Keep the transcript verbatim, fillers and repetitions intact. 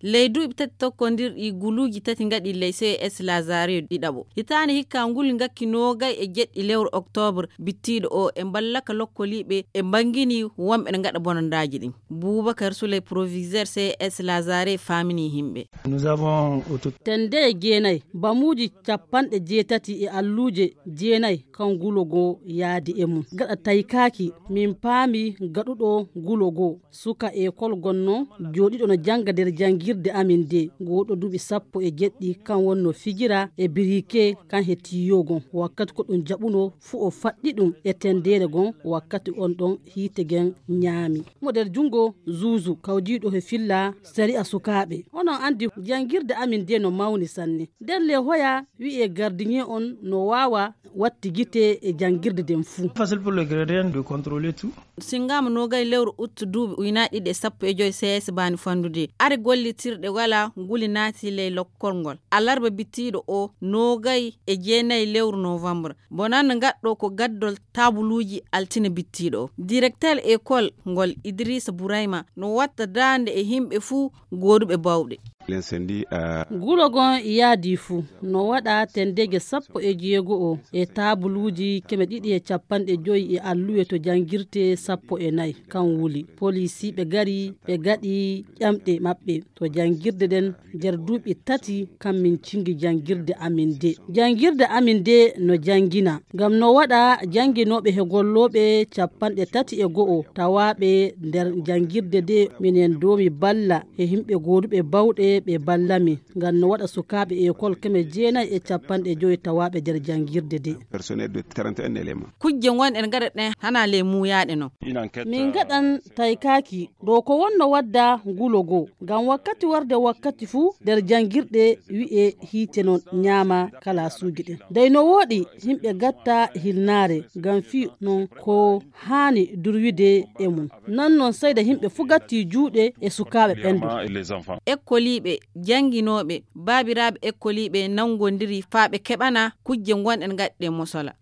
Ley duuɓi tati tokkondirɗi, guluuji tati ngaɗi ley C S Lazare ɗiɗaɓo. Hitaande hikka nguli ngakki noogay e jeɗɗi lewru oktoobar bittiiɗo o, e mballaka lokkoliiɓe e mbanngini wonɓe ne ngaɗa bonandaaji ɗin. Buubakar Suley, proviseur C S Lazare, faamini himɓe. Tende e jeenay, bamuuji capanɗe jeetati e alluuje jeenay kan gulo goo yaadi e mum. Gaɗa taykaaki, min paami gaɗuɗo gulo goo. Suka ekol gonno jooɗiɗo no jannga nder janngirde amin de, gooɗo duuɓi sappo e jeɗɗi, kan wonno fijira e birike kan he tiyo gon. Wakkati ko ɗum jaɓuno fu o faɗɗi ɗum e tendeere gon, wakkati on ɗon hiite gen ñaami mo nder junngo zuuzu kawdiiɗo he filla sari'a sukaaɓe. Onon anndi janngirde amin de no mawni sanne. Nder le hoya wi'e gardiñe on no waawa watti gite e janngirde den fuu. Facile pour le gardien de contrôler tout. Singaama noogay lewru ut duuɓi ujunaaji ɗiɗi e sappo e joy, C S baani fandude. Are gollitirɗe wala nguli naati ley lokkol ngol. Alarba bittiiɗo o noogay e jeenay lewru novembre. Bonande ngaɗɗo ko gaddol taabuluuji altine bittiiɗo o. Directeur école ngol Idrissa Bourayma no watta daande e himɓe fuu gooduɓe bawɗe. Gulo gon yaadi fu no waɗa tendeeje sappo e jeego o e taabuluuji keme ɗiɗi e capanɗe joyi e alluwe to janngirte sappo e nayi. Kan wuli polisiiɓe gari ɓe gaɗi ƴamɗe maɓɓe to janngirde ɗen nder duuɓi tati kan min cingi janngirde amin de. Janngirde amin de no janngina ngam no waɗa jannginooɓe he gollooɓe capanɗe tati e go'o tawaaɓe nder janngirde de. Minen doomi balla he himɓe gooduɓe bawɗe ɓe balla min ngam no waɗa sukaaɓe ekol keme jeenay e capanɗe joyi tawaaɓe nder janngirde de. Personnel de trente et un éléments. Kujje ngonɗen gaɗa ɗen hana ley muuyaaɗe non. Min gaɗan taykaaki ɗo ko wonno wadda ngulo goo ngam wakkati warde wakkati fuu nder janngirɗe wi'e hiite non ñaama kalaasuuji ɗin. Dey no wooɗi yimɓe gatta hilnaare ngam fii non ko haani durwide e mum. Nan non seyda yimɓe fuu gatti juuɗe e sukaaɓe ɓen du. Ekkoliiɓe, jannginooɓe, baabiraaɓe ekkoliiɓe nanngondiri faa ɓe keɓana kujje ngonɗen gaɗɗe mosola.